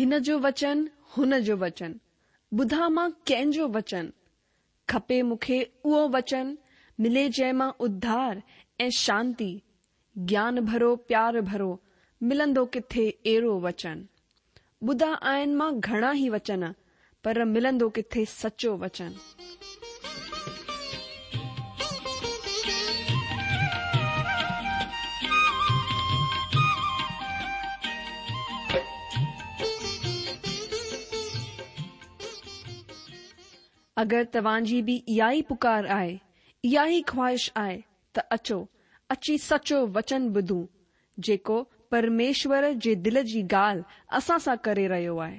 هن جو وچن، هن جو وچن، ٻڌان مان ڪنهن جو وچن؟ کپي مون کي اهو وچن، ملي جنهن مان اڌار ۽ شانتي، گيان ڀرو پيار ڀرو، ملندو ڪٿي اهڙو وچن؟ ٻڌا آهن مان گهڻا ئي وچن، پر ملندو ڪٿي سچو وچن؟ اگر توهان جي به اها ئي پڪار آهي، اها ئي خواهش آهي ته اچو، اچي سچو وچن ٻڌون، جيڪو پرميشور جي دل جي ڳالهه اسان سان ڪري رهيو آهي.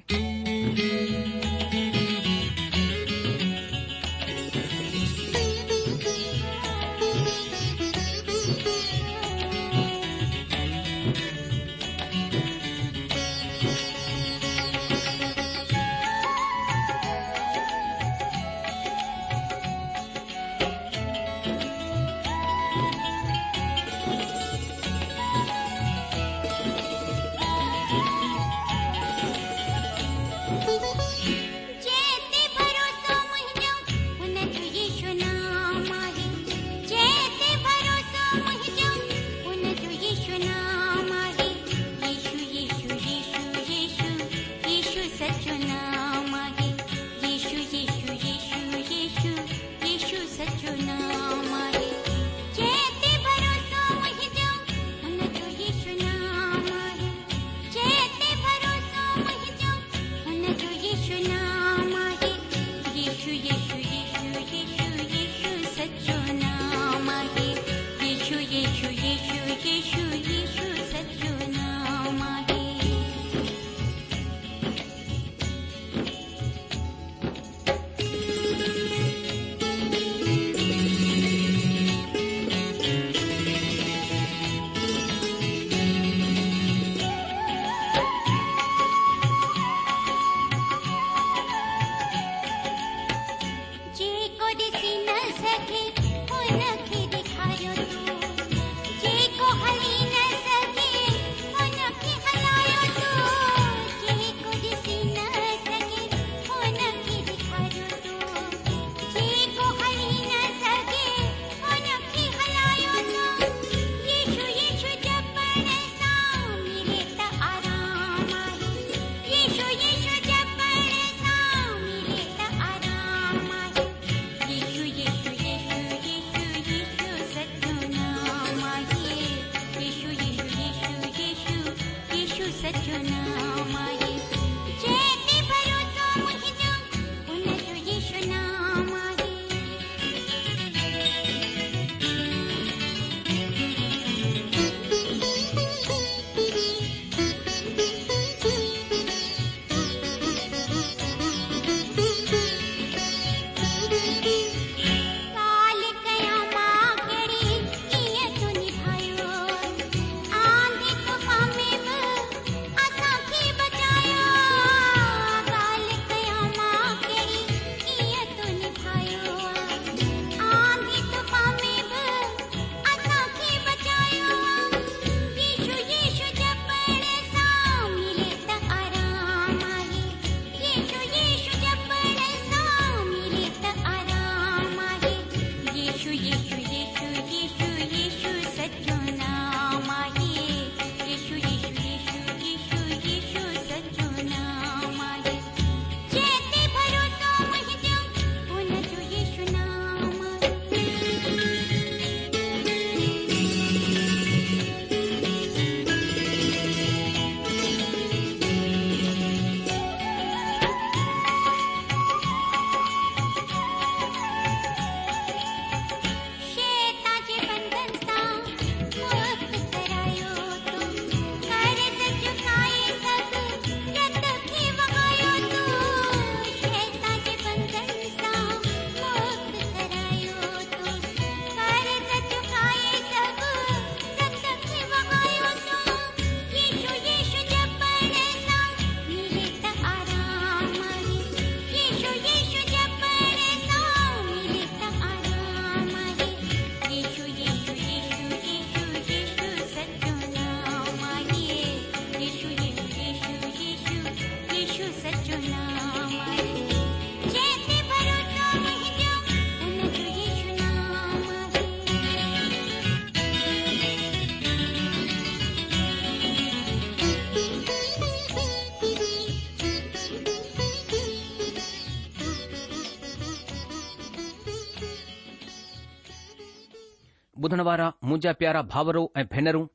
ٻڌڻ وارا منهنجا پيارا ڀائرو ۽ ڀينرون،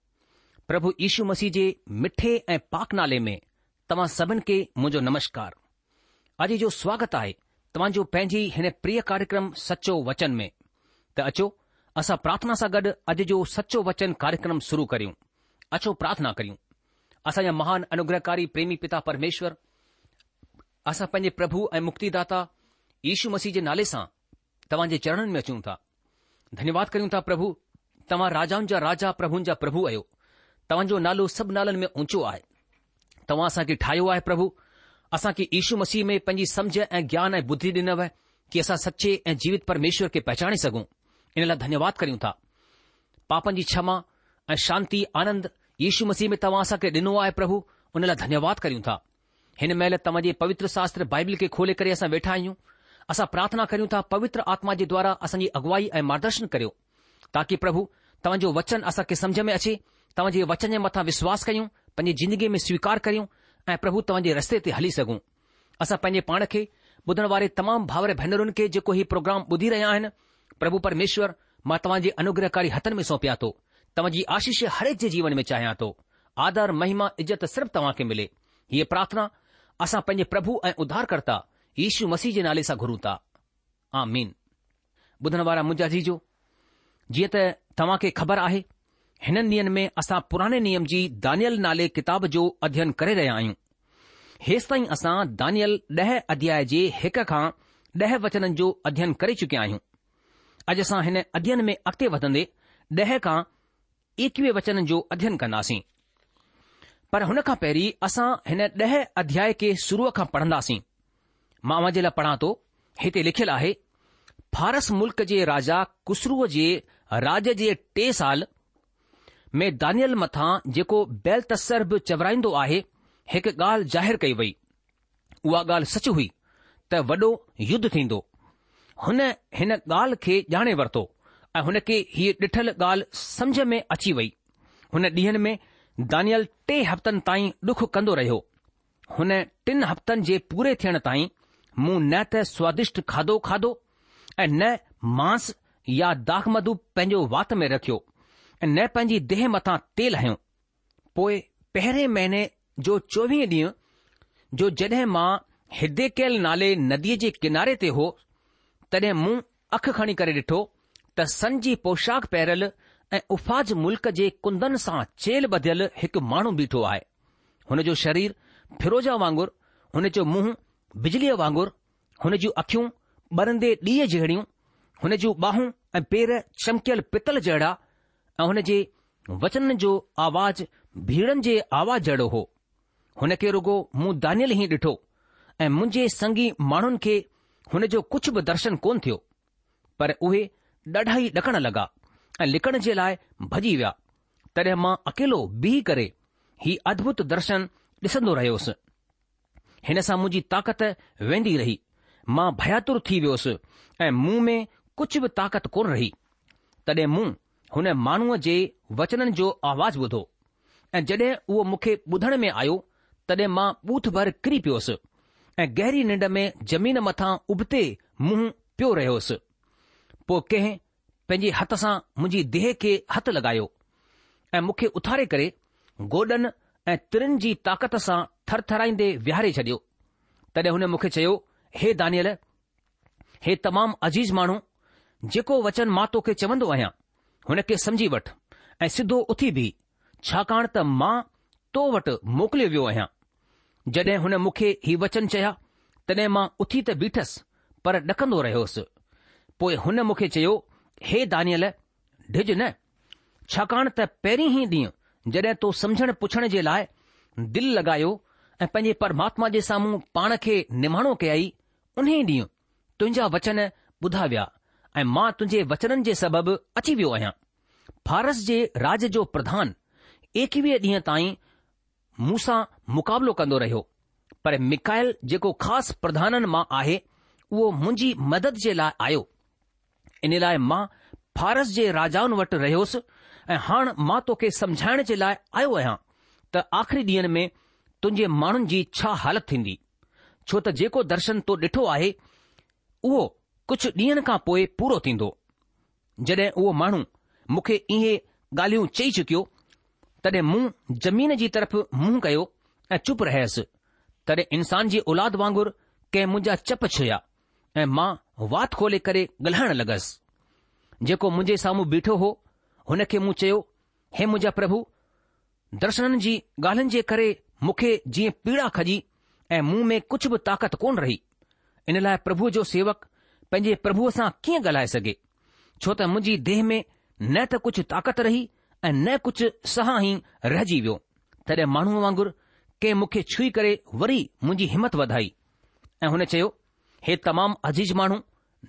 پرڀو يشو مسيح جي مٺي ۽ پاڪ نالي ۾ توهان سڀن کي منهنجو نمشڪار. اڄ جو سواگت آهي توهان جو پنهنجي هن پريه ڪاريڪرم سچو وچن ۾. ته اچو اسان پرارٿنا سان گڏ اڄ جو سچو وچن ڪاريڪرم شروع ڪريون. اچو پرارٿنا ڪريون. اسان جا مهان انوگرهڪاري پريمي پتا پرميشور، اسان پنهنجي پرڀو ۽ مڪتيداتا يشو مسيح جي نالي سان توهان جي چرڻن ۾ اچون ٿا. ڌنيواد ڪريون ٿا پرڀو، توهان راجائن جا راجا پرڀن جا پرڀو آهيو. توهان جو نالو سڀ نالن ۾ اونچو آهي. توهان اسان کي ٺاهيو آهي پرڀو. اسان کي يشو مسيح ۾ پنهنجي سمجهه ۽ گيان ۽ ٻڌي ڏنو ڪي اسان سچي ۽ جيوت پرميشور کي پهچاڻي سگهون. ان لاء ڌنيواد ڪريون ٿا. پاپن جي ڇما ۽ شانتي آنند يشو مسيح ۾ توهان اسان کي ڏنو آهي پرڀو ان لاء ڌنيواد ڪريون ٿا. هن مهل توهان جي پوتر شاستر بائبل کي کولي ڪري اسان ويٺا آهيون. اسان پرارٿنا ڪريون ٿا پوتر آتما جي دوارا اسان جي اڳوائي ۽ مارگدرشن ڪريو. تاڪي پرڀو توهان جو وچن اسان کي سمجهه ۾ اچي، توهان جي وچن جي مٿان وشواس ڪيون، پنهنجي زندگيء ۾ سويڪار ڪريون ۽ پرڀو توهان جي رستي تي هلي سگهون. اسان پنهنجي پاڻ کي، ٻڌڻ واري تمام ڀائر ڀينرن کي جيڪو هي پروگرام ٻڌي رهيا آهن، پرڀو پرميشور مان توهان جي انوگرهڪاري هٿن ۾ سونپيان ٿو. توهان جي آشيش هرهڪ جي جيون ۾ چاهيان ٿو. آدر، مهما، عزت صرف توهان کي ملي. هيء پرارٿنا اسان پنهنجي پرڀو ۽ اڌارڪرتا يشو مسيح جي نالي سان گهرون ٿا. آمين. ٻڌڻ وارا منهنجا عزيزو، جيئن ته توهان کي خبر آهي، هنن ڏينهن ۾ اسان پراڻي نيم جي دانيل نالي ڪتاب جو اڌين ڪري رهيا آهيون. هيستائين اسان دانيل ڏهه اڌياء جي هڪ کان ڏهه وچنن جو اڌين ڪري چڪيا آهيون. اڄ اسان هن اڌين ۾ اڳتي وڌندي ڏهه کان ايڪويهه وچنن جو اڌين ڪنداسين. پر هن کان پهرين اسان هن ڏهه اڌياء کي شروع کان پڙهنداسين. مان اوهان جي لاء پڙهان ٿو، هتي لکيل آهي، فارس ملڪ جي راجا ڪسروء جي راڄ جي ٽئين سال ۾ دانيئيل مٿان جيڪو بيلتسر به چورائيندو آهي، هڪ ڳالهه ظاهر ڪئي وئي. اها ڳالهه سچ هئي ته وڏو يڌ ٿيندو. هن هن ڳالهه کي ڄاڻي ورتو ۽ هن کي هيء ڏٺل ڳالهه سمجهه ۾ اچي وئي. هن ڏينهن ۾ دانيئيل ٽي هفتن تائين ڏک ڪندو رهيو. هن ٽن هفتن جي پوري ٿيڻ تائين مون نه ته سوادشٽ کاڌو کاڌو ۽ نه مانس يا داکمڌو پنهنجو وات ۾ رکيو ۽ نه پنهنجي ديهه مٿان تيل هنيو. پوء پهرين مهيني جو چوويهين ڏينهن جو جڏهن مان هديڪيل نالي نديء جي ڪناري تي هو، تڏهن مون اک کڻي ڪري ڏٺو ته سن جي پوشاڪ پهريل ۽ افاج ملڪ جي ڪندن سان چيلهه ٻڌيل هڪ ماڻهو بيٺو آهي. هن جو شرير فيروزا وانگر، هن جو منهن بجليء وانگر، هن جون اکيون ٻرندي ڏيئي جهڙيون، هن جون ٻانهون ۽ پير چمڪيل پتل جهڙا ۽ هن جي وچنن جو آواز ڀيڙن جي آواز جهڙو هو. هن کي رڳو مون دانيئيل ئي ڏٺو ۽ منهنجي سنگي ماڻهن کي هن جو ڪجهه به درشن ڪونه ٿيو. پر اهي ڏاڍا ئي ڏڪڻ لڳا ۽ لڪڻ جي لاء ڀڄي ويا. تڏهن مان اڪيلو بيهي ڪري هي ادڀت درشن ڏسندو رهيس. هن سان منهنجي طاقت ويندي رهي. مان ڀياتر ٿي ويس ۽ مون ۾ ڪجهه به طاقت ڪونه رهي. تڏهن مون هن ماڻهوء جي وچنن جو آواز ٻڌو ۽ جڏهن اهو مون کي ٻڌڻ ۾ آيو، تڏهن مان ٻوٿ ڀر ڪري پيس ۽ گهري ننڊ ۾ زمين مٿان ابتي منهن پيو رهيس. پوء ڪنهن پنهنجي هٿ سان منهنجي ديهه کي هٿ لڳايو ۽ مون کي اٿاري ڪري گوڏن ۽ ترين جي طاقت سان ٿرٿرائيندي ويهاري ڇڏيو. تڏهن هن مون کي چيو، هي دانيئيل! هي تمام عزيز ماڻهو، جيڪو وچن مان توکي چوندو آهيان، هن کي سمجهي وٺ ۽ سڌو اٿي بيهه، ڇاڪاڻ ته مان تو وٽ موڪليو ويو آهيان. جڏهن هن مون کي هي وچن چيا، تڏهن مان اٿي ته بيٺس، پر ڏڪندو رهيس. پوء هن مون کي چيو، هي دانيئيل، ڊڄ نه، ڇاڪاڻ ته پهرين ئي ڏينهن جڏهن تو سمجهڻ پڇڻ جي لاء دل لڳايو ۽ پنهنجي پرماتما جي سامهون پاڻ کي نماڻو ڪيائي، انهيء ڏينهن تنهنجا وچن ٻڌا ويا ۽ مان تنهنجي وچنن جي سبب اچي ويو آهيان. فارس جي راڄ جو پرڌان ايڪويهه ڏينهن تائين مون سان مقابلو ڪندو رهيو، پر ميڪائيل جيڪو خاص پرڌانن مان آهي، اهو منهنجي مدد جي لاء آيو. ان لاء مان فارس جي راجائن وٽ رهيس ۽ هاڻ مان توکي سمجهائڻ جي لاء آيو آهيان ته آخري ڏينهن ۾ تنهنجي ماڻهن جي ڇا حالت ٿيندي، ڇو ته جيڪو درشن تو ڏٺو آهي، اهو ڪجهه ڏينهن کان پوء پورو ٿيندو. جڏهن اهو ماڻهو مون کي اهي ڳالهيون چئي چڪيو، تڏهن مون زمين جي طرف منهن ڪيو ۽ چپ رهيس. تڏهن انسان جي اولاد وانگر ڪنهن منهنجا چپ ڇهيا ۽ مان وات کولي ڪري ڳالهائڻ لڳس. جيڪو منهنجي سامهون بيٺو هو، هن کي مون چيو، هي منهنجا پرڀو! درشنن جي ڳالهين جي ڪري مون کي جيئن پيڙا کڄي ۽ مون ۾ ڪجهه به طاقت ڪونه رهي. ان لاء پرڀوء جو سيوڪ پنهنجي پرڀوء سان ڪيئن ڳالهائي سگهي؟ ڇو ته منهنجي ديهه ۾ نه ته ڪجهه طاقت رهي ۽ نه ڪجهه ساهه ئي رهجي ويو. تڏهن ماڻهوء وانگر ڪنهن مون کي ڇهي ڪري وري منهنجي همت وڌائي ۽ هن چيو، هي تمام عزيز ماڻهو،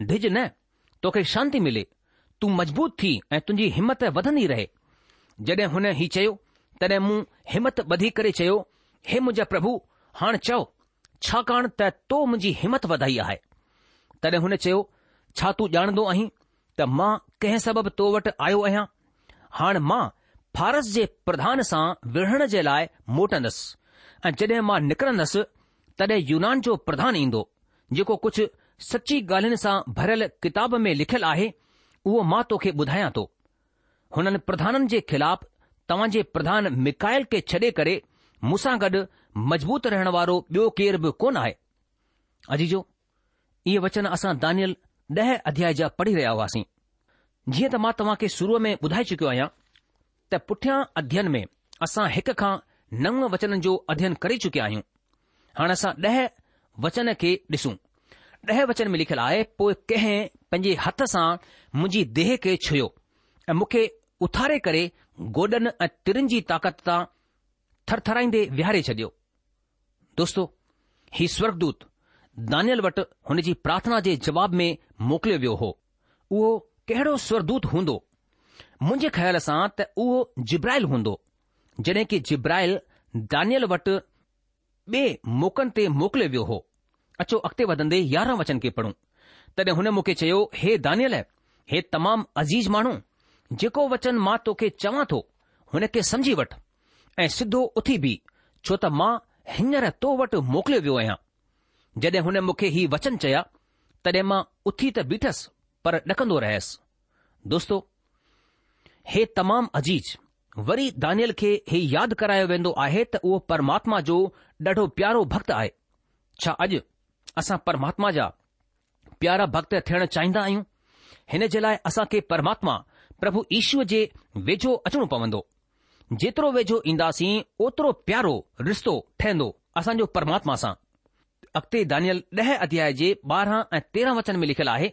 ڊڄ نه، توکي شانتي ملي، تون مضبوط ٿي ۽ تنهنجي همت وڌندي رهي. جڏهن هن هي چيو، تڏهن مون همت ٻڌي ڪري چيو، هي منهنجا پرڀو، هاڻ چئو، ڇاڪاڻ ته تو منهنجي همت وڌائي آهي. تڏهن هن چيو، ڇا تون ڄاڻندو آهين ته مان ڪنهن سبب تو وٽ آيو آهيان؟ هاڻ مان فارس جي پرڌان سان وڙهڻ جي لاء موٽندس ۽ جڏهن مان نڪرندس، تڏهن يونان جو پرڌان ايندو، جيڪو ڪجهه سچي ڳالهين سان ڀريل ڪتاب ۾ لکيل آهي، اهو مان توکي ٻڌايان ٿو. هنن پرڌانن جي خلاف توهان جي پرڌان ميڪائيل کي ڇڏي ڪري مون سان گڏ مضبوط رهڻ وارو ٻيو ڪير به ڪونه آهي. عزيزو! اهي وچن اسان دانيل ڏهه اڌيائي جا پڙهي رهيا هئاسين. جيئن ته مان توهان کي شروع ۾ ٻڌائي چڪيو آهيان ته پٺيان اڌيين ۾ اسان هڪ کان نو وچنن جو اڌيين ڪري چڪيا آهيون. هاڻ اسان ڏهه وچن کي ڏسون. ڏهه وچن ۾ لکيل آهي، پوء ڪنهن پنهنجي هٿ سان منهنجي ديهه کي ڇهيو ۽ مون کي اٿاري ڪري گوڏن ۽ ترين جي طاقت تان ٿرٿرائيندي ويهاري ڇڏيو. دوستو! هي سورڳدوت دانيل وٽ هن جي پرارٿنا جي جواب ۾ موڪليو ويو هو. اهو ڪهڙو سورڳدوت هوندو؟ منهنجي خيال سان ته اهو جبرائيل هوندو. جڏهن ڪي جبرائيل دانيل وٽ ٻئي موقعن تي موڪليو ويو هو. اچو اڳتي وڌندي يارهن وچن کي پڙهون. تڏهن هن مون کي چيو، هي دانيل، هي تمام عزيز ماڻهو، جيڪو وچن مان توکي چوان ٿو، هن کي سمجهي وٺ ۽ سڌو اٿي بيهه، ڇو ته مان هينئر تو وٽ موڪليو ويو آهيان. جڏهن هن مون کي هي وچن چيا، تڏهن مان اٿي ته بيٺس، پر ڏڪندو رهيس. دوستو! هي تمام عزيز، وري دانيل کي هي ياد ڪرايو ويندو آهي ته اهو پرماتما جو ڏاڍو پيارو ڀڳت آهي. ڇا اڄ اسان پرماتما جا پيارا ڀڳت ٿيڻ چاهيندا آهيون؟ هن جي لاء اسان کي پرماتما پرڀو يشوء جي ويجهو اچڻو پوندو. جيترو ويجهو اينداسين اوترو پيارو رشتو ٺهندو اسان جو پرماتما سان. اڳتي دانيل ڏهه اڌياء جي 12 ۽ 13 وچن ۾ لکيل آهي،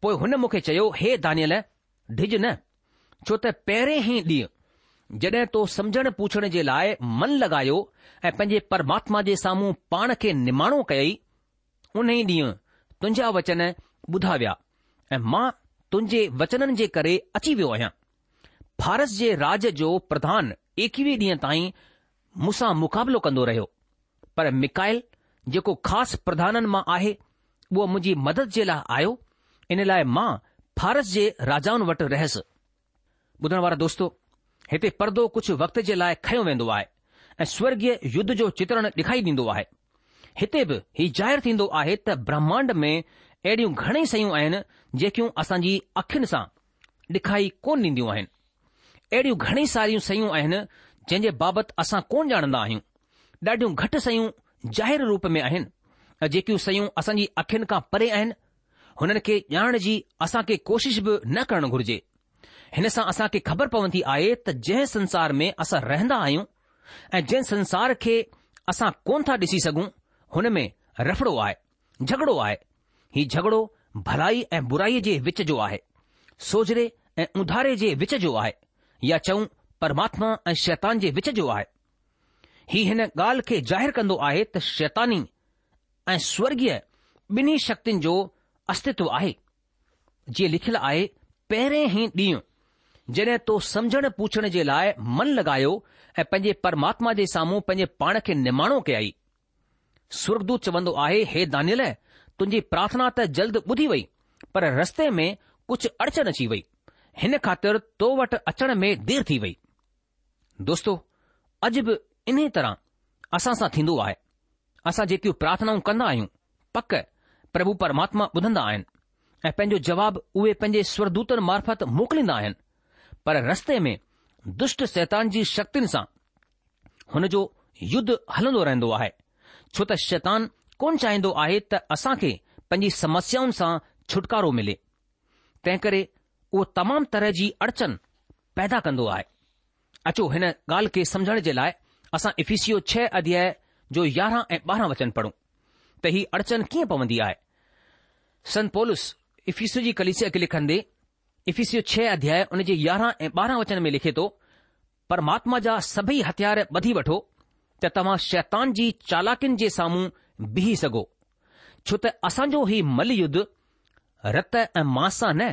پوء هن مون کي چيو، هي دانيل، ڊڄ نه، ڇو ته پهرين ئي ڏينهن جڏهن تو سمجهڻ پوڇڻ جي لاء من لڳايو ۽ پنهنجي پرماتما جي سامهون پاڻ کي نماڻو ڪيئي، انهي ڏينهن تنهنجا وچن ٻڌا ويا ۽ مان تنهنجي وچنن جي ڪري اچي ويو آهيان. فارس جي راڄ جو پرڌان ايڪويهه ڏينهن تائين مون سان مقابلو ڪندو رهيو، پر ميڪائيل جيڪو خاص پرڌانن مان آهي، اهو منهنجي مدد جي لاء آيو، ان لاء مان فارس جي راجائن وٽ رهيس. ٻڌڻ وارا دوستو، هتي پردو ڪجهه وقت جي لاء کنيو ويندو آهي ۽ سورڳيه يڌ جو چترڻ ڏکائي ڏيندو آهي. هتي به هي ظاهر ٿيندو آهي ته برهمانڊ ۾ اهڙيون گهڻئي شيون آهن جيڪيون اسان جي اکين سان ڏکائي ڪونه ڏينديون آهن. اهڙيون گهڻئي ساريون شيون آهن جنهن جي بابت اسان ڪونه ڄاڻندا آهيون. ڏاڍيون گهٽ شيون ظاهر روپ ۾ آهن ۽ جيڪيون شيون اسان جي اکين کان پري آهن، هنن کي ڄاڻڻ جي اسان کي ڪوشش به نه ڪرڻ گهرجي. هن سان اسان کي خبر پوندي آهي ته جنهن سنسار ۾ اسان رهندا آهيون ۽ جنهن سنسار کي اسان ڪونه ٿا ڏسي سگهون، هن ۾ رڦڙو آهي. جهڳڙو آهي. هي جهڳڙو ڀلائي ۽ برائيء جي وچ جو آهي. سوجهري ۽ اونڌاري جي وچ جو آهي يا چئون پرماتما ۽ شيطان جي وچ جو آهي. هي هن ڳالهه کي ظاهر ڪندو آهي ته شيطاني ۽ سورڳيه ٻنهي شڪتين جو استتو آهي. جيئن لکيل آهي، پهرين ئي ڏينهن جڏهن تو سمجهڻ پوڇڻ جي لاء من لڳايو ۽ پنهنجي پرماتما جي سامهون پنهنجي پاڻ کي نماڻو ڪيائي. سورڳدوت چوندو آهي، هي دانيل! تنهنجي پرارٿنا ته جلد ٻڌي وئي، پر رستي ۾ ڪجهه اڙچن اچي وئي، هن خاطر تو وٽ اچڻ ۾ دير ٿي وئي. دوستو! اڄ به انهيء طرح اسان سان ٿيندو آهي. اسان جيڪيون پرارٿنائون ڪندا آهيون، پڪ پرڀو پرماتما ٻڌندا آهن ۽ پنهنجو جواب اهي پنهنجي سورڳدوتن معرفت موڪليندا آهن. پر رستي ۾ دشٽ شيطان جي شڪتين سان هن جو يڌ هلندو رهندو آهي، ڇو ته شيطان ڪونه چاهيندو آهي ته اسان کي پنهنجي سمسيائن سان ڇوٽڪارو ملي. تنهنڪري اهو تمام طرح جي اڙچن پيدا ڪندو آهي. اچو هن ڳالهه کي سمجهڻ جي لاء اسان افيسيو ڇهه اڌياء جو 11 ۽ 12 وچن پڙهون ته هي اڙچن ڪيئن پوندي آهي. سنت پولس افيسيو جي ڪليسيا کي لکندي افيسيو ڇهه اڌياء ان جي 11 ۽ 12 وچن ۾ لکي ٿو، پرماتما جا سڀئي هٿيار ٻڌي وٺو ته توهان شيطان جي چالاڪين جي سامهون بيهي سگهو، ڇو ته اسان جو هي مل يڌ رت ۽ ماس سان نه،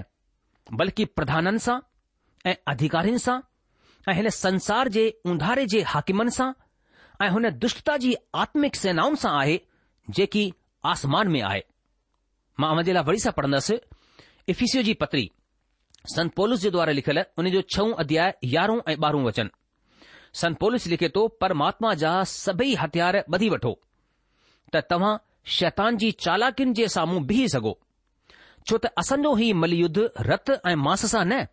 بلڪ پرڌانن سان ۽ اڌيڪارين سان ۽ هن سنسار جي اونڌاري جي حاڪمن سان ۽ هن دشٽتا جي آتمڪ سينائن سان آهي جيڪي آسمان ۾ آهي. مان اوهان جي لاء وري سان پڙهندس افيسيو جي پتري سنت پولس جي دوارا لکيل ان جو ڇهون اڌياء يارهون ۽ ٻارهون وچن. سنت پولس لکي ٿو پرماتما جا سڀئي هٿيار ٻڌي وٺو ته توهان شيطان جي چالاڪين جي سامهون بيهي سگهو. ڇو ته اسان جو هي مل يڌ رت ۽ ماس سان نه،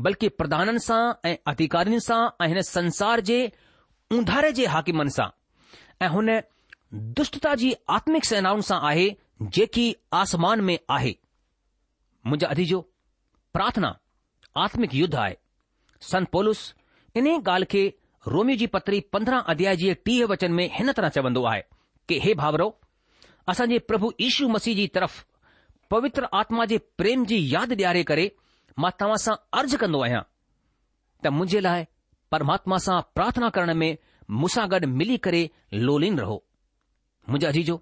بلڪه پرڌانن سان ۽ اڌيڪارين سان ۽ هن سنسار جي اونڌاري جي حاڪمن سان ۽ هن دشٽتا جي آتمڪ سينائن سان آهي جيڪي آسمان ۾ آهي. منهنجا عزيزو، پرارٿنا آتمڪ يڌ آهي. سنت پولس انهيء ڳالهه کي روميو جي پتري 15 اڌياء جي 30 وچن ۾ هن طرح چوندو آهي ڪي هي ڀائرؤ! اسان جي پرڀو يشو مسيح جي طرف پوتر آتما جي پريم جي ياد ڏياري ڪري مان توهان سان عرض ڪندو آهيان ته منهنجي لاء پرماتما سان پرارٿنا ڪرڻ ۾ مون سان گڏ ملي ڪري لولين رهو. منهنجا عزيزو،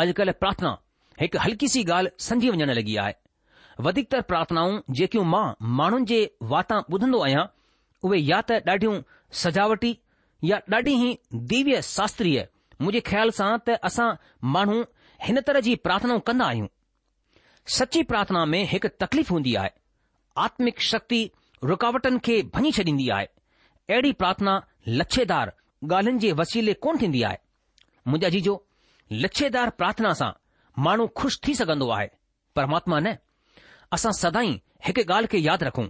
اڄڪلهه پرارٿنا هڪ هلڪي سي ڳالهه سمجهي وڃڻ لڳي آهي. وڌيڪتر پرارٿنائون جيڪيون مان ماڻهن جي واتان ٻڌندو آهيان، اهي يا ته ڏاڍيون سجاوٽي يا ڏاڍي ئي ديويه شاستريه، منهنجي خيال سان ته اسان ماڻهو هن طرح جي پرارٿنائون ڪندا آهيون. سچي پرارٿنا ۾ هڪ تڪليف هوندي آهي. آتمڪ شڪتي رڪاوٽن کي ڀڃي ڇڏيندي آهي. اهڙي پرارٿنا لڇيدار ڳالهين جي وسيلي ڪونه ٿيندي آهي. منهنجا عزيزو، لڇيدار پرارٿنا سان ماڻهو خوش ٿي سگهندو آهي، پرماتما نه. اسان سدائين هڪ ڳالهه کي ياد رکون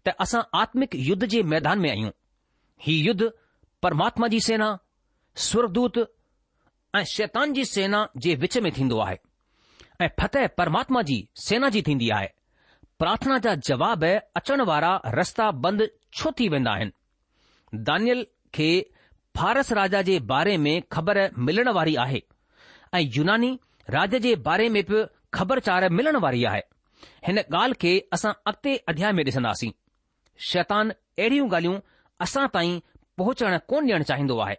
ته اسان آتمڪ يڌ جي ميدان ۾ آهيون. هي يڌ پرماتما جي سينا، سورگدوت ۽ شيطان جي سينا جي وچ ۾ ٿيندو آهي ۽ فتح پرماتما جي سينا جي ٿيندي آهي. پرارٿنا جا جواب اچڻ وارا رستا بند ڇو ٿي ويندا آهن؟ دانيل کي فارس راجا جي باري ۾ خبر ملڻ واري آهي ۽ يوناني راج جي باري ۾ به خبرچار ملڻ واري آهي. هن ڳالهه کي اسان اڳتي اڌياء ۾ ڏسنداسين. شيطان اهڙيون ڳالهيون اسان تائين پهچڻ ڪونه ڏيڻ چاهيندو آهي،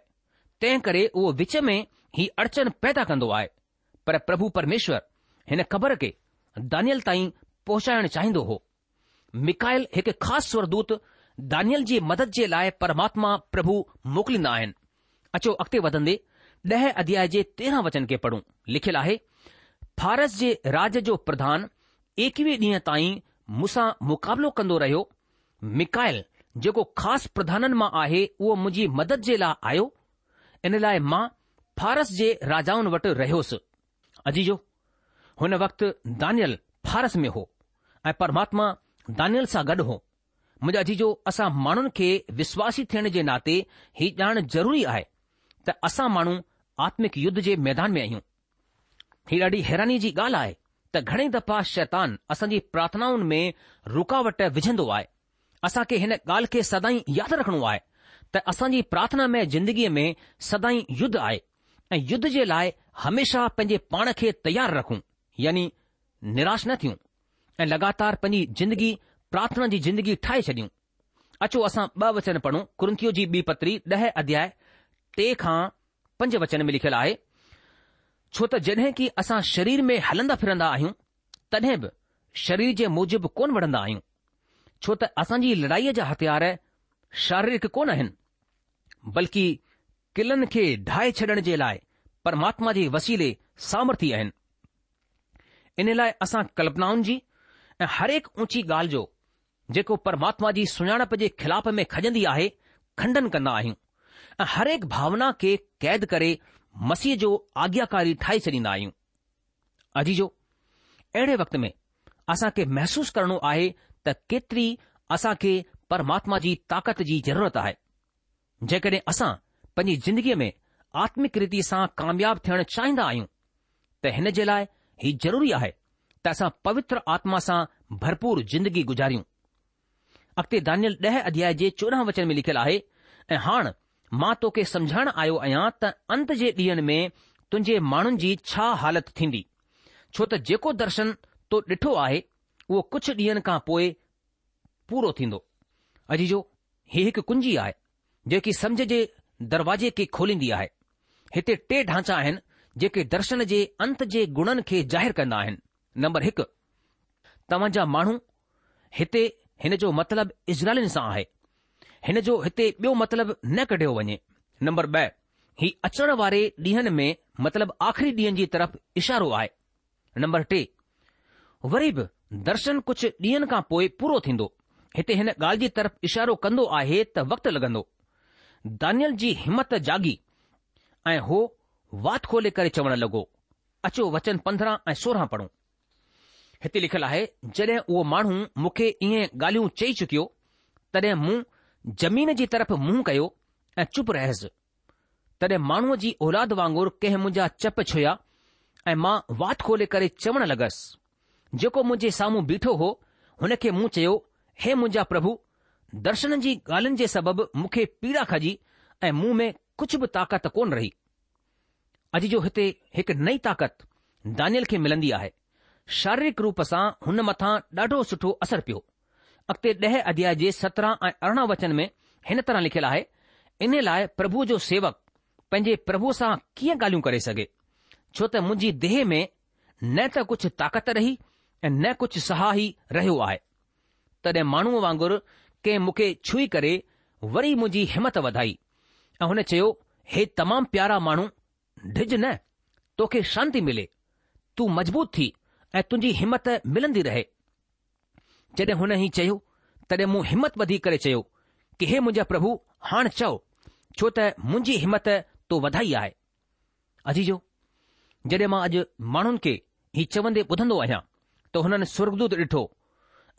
تنهن ڪري اهو وچ ۾ هي اڙچن پيدا ڪندو آهي. پر پرڀو پرميشور هن خبر کي دانيل تائين پهچائڻ چاهيندو هو. ميڪائيل هڪ خاص سورگدوت دانيل جي مدد جي لاء پرماتما پرڀو موڪليندا آهن. اچو اڳتي وڌندي ڏهه اڌياء جي 13 وچن کي پڙهون. لکيل آهي، فارس جي راج جو پرڌان ايڪويهه ڏينهن تائين مون سان مقابلو ڪندو رهيو. ميڪائيل جيڪو خاص پرڌانن مان آهي اهو منهنجي مدد جي لاء آيو، ان لاء مان فارس جي راجائن وٽ رهيوس. عزيزو! هن وقت دانيل فارس ۾ هو ۽ پرماتما دانيل سان گڏ هو. منهنجا عزيزو! اسان ماڻهن کي وشواسي ٿيڻ جي ناتي هي ڄاڻڻ ضروري آهي ته اسان ماڻهو آتمڪ يڌ جي ميدان ۾ آهيون. هي ڏاڍي حيراني جي ڳالهه آهي ته گهڻي دفعا شيطان اسان جي پرارٿنائن ۾ رڪاوٽ وجهندو آهي. اسان کي هن ڳالهه کي سدائين ياد رکڻو آهي ته اسان جي پرارٿنا ۾ زندگيء ۾ سدائين يڌ آهي ۽ يڌ جي لاء هميشه پنهنجي پاڻ کي تيار رکون يعني نراش نه ٿيون ۽ لڳاتار پنهنجي زندگي پرارٿنا جي زندگي ٺاهي ڇڏيون. اچو اسان ٻه وچن پڙهون ڪرنٿيو جي ٻي پتري ڏهه اڌياء ٽي کان پنج وچن ۾ لکيل آهي، ڇو ته جڏهن ڪي اسان شرير ۾ هلندا ڦرندا آهيون، تڏهن به شرير جي موجب ڪونه وڙهندا آهيون، ڇو ته اسان جي لڙائيء جا هٿيار شاريرڪ ڪونه آهن، بلڪ قلعن کي ڍاهي ڇڏڻ جي لاء پرماتما جي وسيلي سامرٿي آهن. ان لاء اسان ڪلپنائن جي ۽ هرهڪ اونچي ڳالهه جو جيڪو پرماتما جي سڃاڻپ جي خلاف ۾ کڄندي آهي، کنڊن ڪندا آهيون ۽ هرهڪ ڀاونا کي قيد ڪري مسيح جو آگياڪاري ٺاهي ڇڏيندا آهيون. عزيزو! اهڙي وقت ۾ اسان کي محسوس ڪرڻو آهي ته ڪيتري اسان کي پرماتما جي طاقت جي ضرورت آهي. جيڪڏهن اسان پنهنجي زندگيء ۾ آتمڪ ريتي سان ڪامياب ٿيڻ چاهيندا آهيون ته هن جي لاء هي ضروري آهي ته اسان پوتر آتما سان ڀرپور زندگي گذاريون. اڳتي دانيل ڏهه اڌياء جي 14 وچن ۾ لکيل آهي، ۽ هاڻ مان توکي سمجهائڻ آيو آهيان ته انت جي ڏينهن ۾ تنهنجي ماڻهن جي ڇا حالت ٿيندي، ڇو ته جيڪو درشن تو ڏٺو آهي، اهو ڪجهه ڏينهن کان پوء پورو ٿيندو. عزيزو! هي هڪ ڪنجي آهي، جيڪي سمجهه جي دروازي کي کوليندي آهي. هتي ٽي ڍانچا آهن، جيڪي درشن جي انت جي گڻن کي ظاهر ڪندا آهن. نمبر هڪ، توهان جا ماڻهو، هتي هن جو مطلب اسرائيلين سان آهي. هن جو هتي ٻيو مطلب نه ڪڍيو وڃي. نمبر ٻه، هي اچڻ واري ڏينهن ۾ مطلب آخري ڏينهن جي طرف اشارو آهي. نمبر ٽي، وري به درشن ڪجهه ڏينهن کان پوء پورو ٿيندو. هتي هن ڳالهه جي طرف اشارو ڪندو آهي ته وقت لڳندو. دانيل جي همت جاڳي ۽ هو وات کولي ڪري چوڻ لڳو. اچو وچن 15 ۽ 16 پڙهون. هتي لکيل آهي، جڏهن اهو ماڻهو مون کي اهي ڳالهيون چئي چڪيو، تڏهن مون زمين جي طرف منهن ڪيو ۽ چپ رهيس. تڏهن ماڻهوء جي اولاد وانگر ڪنهن منهنجا چپ ڇهيا ۽ مان وات کولي ڪري چوڻ لڳس. جيڪو منهنجي سامهون بيٺو هو، هن کي مون چيو، هي منهنجا پرڀو، درشن جي ڳالهين جي سبب مون کي پيڙا کڄي ۽ مون ۾ ڪجهه به طاقت ڪونه رهي. عزيزو هتي هڪ نئين طاقت دانيل کي ملندي آهي. شاريرڪ روپ سان هن مٿان ڏاڍو سٺو اثر پيو. اڳتي ڏهه اڌياء جي 17 ۽ 18 وچن ۾ هن طرح لکيل آهي، انهي لاء پرڀوء جو سيوڪ پنهنجي پرڀوء سان ڪيئن ڳالهيون ڪري سگهي؟ ڇو ته منهنجي ديهه ۾ نه ته ڪجهه طاقت رهي ۽ نه ڪجهه ساهه ئي رهيو آهي. تڏهن ماڻهوء وانگر ڪنهن مون کي ڇهي ڪري وري منهنجي همت وڌائي ۽ هن چيو، هي تمام پيارا ماڻهو، ڊڄ نه، توکي شانتي ملي، تون مضبوط ٿي ۽ تنهنجي همت ملندي رهي. جڏهن هن هي چيو، تڏهن مون همت ٻڌي ڪري چيو ڪه هي منهنجا پرڀو، هاڻ چئو، ڇو ته منهنجي همت تو وڌائي آهي. عزيزو! جڏهن مان اڄ ماڻهن کي هي چوندي ٻڌندو آهيان ته هنن سورڳدوت ڏٺو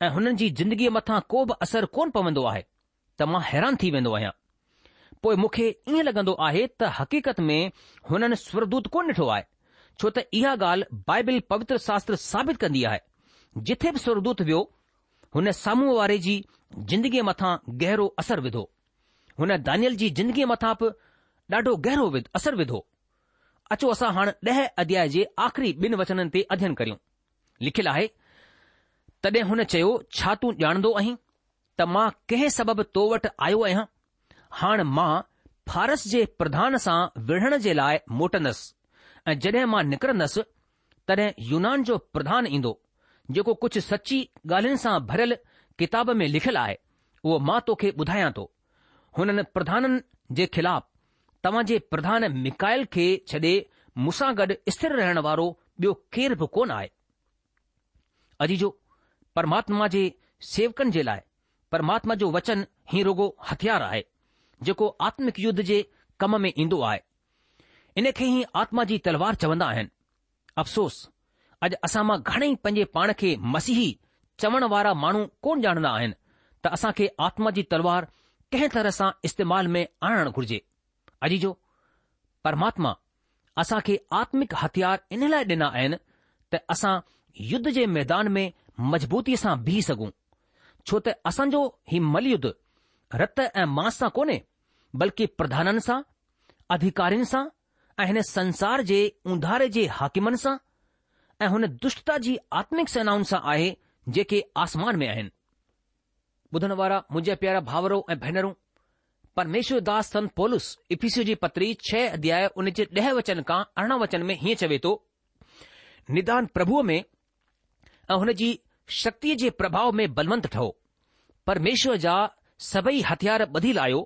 ۽ هنن جي زندگيء مٿان ڪو به اثر ڪونه پوندو آهي ته مان حيران ٿي ويندو آهيان. پوء مون کي ائين لڳندو آهي ته حقيقت ۾ هنن سورڳدوت ڪونه ڏٺو آهي، ڇو ته اها ڳالهه بائبل پوتر شاستر ثابت ڪندي آهي. جٿي به سورڳدوت ويو، هن سامهون واري جي زندگيء مٿان گهرو اثر وڌو. هن دانيل جي زندگيء مٿان به ڏاڍو گهرو اثر وڌو. اچو اسان هاڻ ڏهه اڌياء جي آخري ٻن وچنن تي اڌين ڪريون. لکيل آهي، تڏهن هن چيو، ڇا تون ڄاڻندو آهين ته مان ڪنهن سبب تو وٽ آيو آهيان؟ هاڻ مان فارس جي پرڌان سان وڙهڻ جي لاء موٽندس ۽ جڏهن مان نڪرندس، تڏهن يونان جو پرڌان ايندو، جيڪو ڪجهه سچي ڳالهين سان ڀريل ڪتاب ۾ لکيل آهي، اهو مان توکي ٻڌايان ٿو. هنن پرڌانن جي خلاف توهان جي پرڌان ميڪائيل کي ڇڏي مون سان گڏ اسٿر رهڻ وارو ٻيو ڪير به ڪونه آهي. عزيزو! پرماتما جي سيوڪن جي لاء پرماتما جو وچن هي رڳو هٿيار آهي، جيڪو آتمڪ يڌ جي ڪم ۾ ايندو آهي. ان کي ئي آتما جي تلوار چوندا آهن. افسوس! اڄ اسان مان گهڻئي پنهنجي پاڻ کي مسيحي چوڻ وارا ماڻهو ڪونه ڄاڻندا آهن ته اسان کي آتما جي تلوار ڪنهن طرح سان استعمال ۾ آڻڻ گهرجي. عزيزو! پرماتما اسان کي آتمڪ هٿيار ان لاء ڏنا آهن ته اسان يڌ جي ميدان ۾ مضبوطيء سان بيهي سگهون، ڇو ته اسان جو هي مل يڌ رت ۽ ماس سان ڪونهي، بلڪه پرڌانن سان، اڌيڪارين سان ۽ هن سنسار جي اونڌاري جي حاڪمن سان ۽ هن دشٽتا جي آتمڪ سينائن سان آهي جيڪي آسمان ۾ آهن. ٻڌڻ وارا منهنجا پيارا ڀائرو ۽ ڀينرون، پرميشور داس سنت پولس افسيون جي پتري ڇهه اڌياء ان جي ڏهه وچن کان 18 وچن ۾ هيئن چوي ٿو، نڌان پرڀوء ۾ ۽ هن جي شڪتيء جي پرڀاء ۾ بلونت ٺهو. پرميشور جا سڀئي هٿيار ٻڌي لاهيو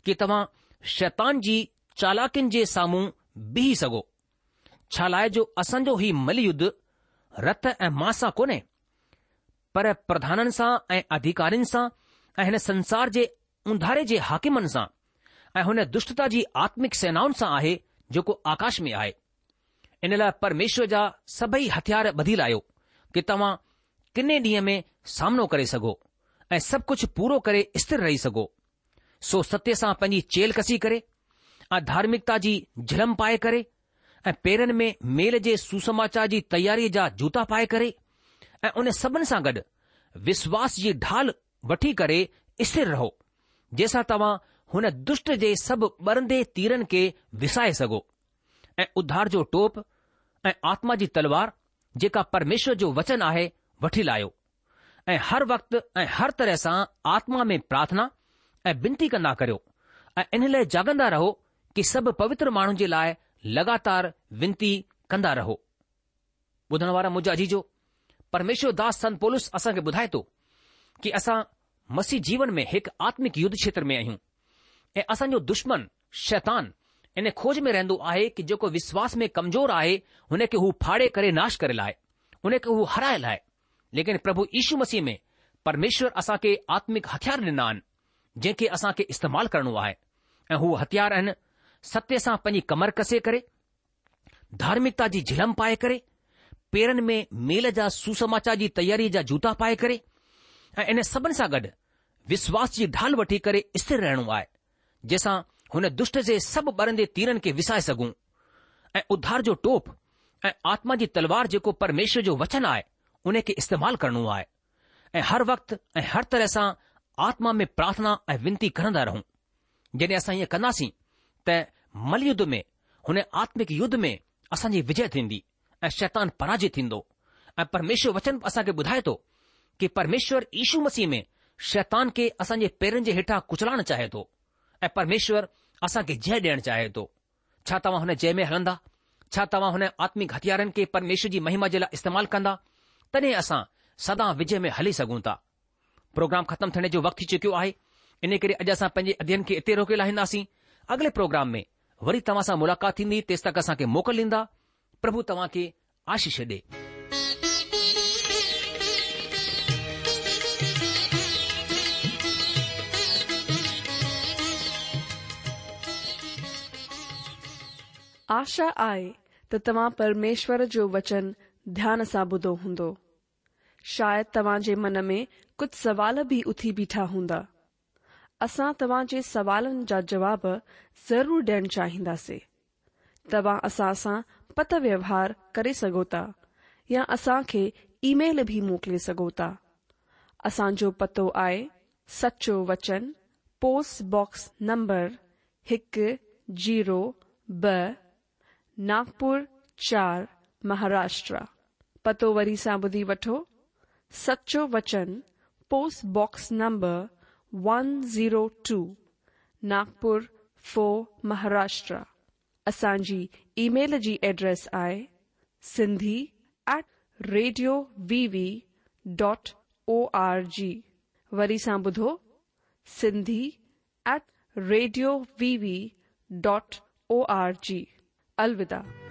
ڪي توهان شيطان جي چالاڪين جي سامهون بيهي سگهو. ڇالاء جو اسان جو هي مل يڌ رت ۽ ماس سان ڪونهي، پر پرڌانن سان ۽ اڌيڪارين سان ۽ هن سنسار جي اونڌاري جي حاڪمن سان ۽ هن دشٽتا جي آتمڪ سينائن سان آهي جيڪو آڪاش ۾ آهي. ان لاء پرميشور جا سڀئي هٿيار ٻڌي لاهيو ڪي توهان ڪني ڏينهن ۾ سامنو ڪري سگهو ۽ سڀ ڪجهه پورو ڪري اسٿر رهي سگهو. سو ستيه سان پنهنجي چيلهه ڪسي ڪري ۽ ڌارمڪتا جي جهلم پائي ڪري ۽ پيرن ۾ ميل جي سوسماچار جي تياريء جا جوتا پائي ڪري ۽ ان سڀن سان گڏ وشواس جي ڍال وٺي ڪري اسٿر رهو، جنهن سان توهان هن دشٽ جي سڀ ٻرندي تيرن کي وسائي سگهو ۽ اڌار جو ٽوپ ۽ آتما جي تلوار، جيڪا پرميشور جو وچن آهي، وٺي لاهيو ۽ هر وقت ۽ هر طرح سان آتما ۾ پرارٿنا ۽ بنتي ڪندا ڪريو ۽ ان لاء جاڳندا رهو ڪي سڀ پوتر ماڻهن جي لاء لڳاتار ونتي ڪندا رهو. ٻڌڻ وارا منهنجا عزيزو، پرميشور داس سنت پولس اسان کي ٻڌائي ٿو ڪي اسان مسيح جيون ۾ هڪ آتمڪ يڌ کيتر ۾ آهيون ۽ اسان جو دشمن شيطان ان کوج ۾ رهندو آهي ڪي جيڪو وشواس ۾ ڪمزور آهي هن کي هو ڦاڙي ڪري ناش ڪري لاهي، هن کي هو هرائي لاهي. ليڪن پرڀو يشو مسيح ۾ پرميشور اسان کي آتمڪ هٿيار ڏنا آهن جنهن کي اسان کي استعمال ڪرڻو آهي ۽ هو هٿيار آهن ستيه سان پنهنجي ڪمر ڪسي ڪري، ڌارمڪتا جي جهلم پائي ڪري، پيرن ۾ ميل جا سوسماچار جي تياريء جا جوتا پائي ڪري ۽ ان سڀن سان گڏ وشواس جي ڍال وٺي ڪري اسٿر رهڻو آهي، جنهن سان هن دشٽ جي سڀ ٻرندي تيرن کي وسائي سگهون ۽ اڌار جو ٽوپ ۽ آتما جي تلوار جيڪو پرميشور جو وچن آهي، ان کي استعمال ڪرڻو آهي ۽ هر وقت ۽ هر طرح سان آتما ۾ پرارٿنا ۽ ونتي ڪرندا رهون. جڏهن اسان ائين ڪنداسين ته مل يڌ ۾ هن آتمڪ يڌ ۾ اسان جي وجئه ٿيندي ۽ شيطان پراجت ٿيندو ۽ پرميشور وچن اسان کي ٻڌائي ٿو ڪي پرميشور يشو مسيح ۾ شيطان کي اسان جي پيرن جي هيٺان ڪچلائڻ چاهي ٿو ۽ پرميشور اسان کي جئه ڏيڻ چاهي ٿو. ڇا توهان هن جئه ۾ هلندا؟ ڇا توهان هن آتمڪ هٿيارن کي پرميشور جي مهما جي لاء استعمال ڪندا؟ تڏهن اسان سدا وجئه ۾ هلي سگهون ٿا. پروگرام ختم ٿيڻ جو وقت ٿي چڪيو آهي، انهي ڪري اڄ اسان پنهنجي اڌيين کي اتي روڪي لاهينداسين. اڳلي پروگرام ۾ وري توهان سان ملاقات ٿيندي، تيستڪ اسان کي موڪل ڏيندا. پرڀو توهان کي آشيش ڏي. آشا آهي ته توهان پرميشور جو وچن ڌيان سان ٻڌو هوندو. شايد توهان جي من ۾ ڪجهه سوال به اٿي بيٺا هوندا. اسان توهان جي سوالن جا جواب ضرور ڏيڻ چاهينداسي. توهان اسان سان پتر ويوهار ڪري سگهو ٿا يا اسان کي اي ميل به موڪلي سگهو ٿا. اسان جو پتو آهي سچو وچن پوسٽ باڪس نمبر هڪ زيرو ٻه ناگپور چار مهاراشٽرا. پتو وري سان ٻڌي وٺو، سچو وچن post box number one zero two Nagpur four Maharashtra. اسان جي اي ميل جي ايڊريس آهي Sindhi at radio V V dot O R G. وري سان ٻڌو Sindhi at radio V V dot O R G. الوداع.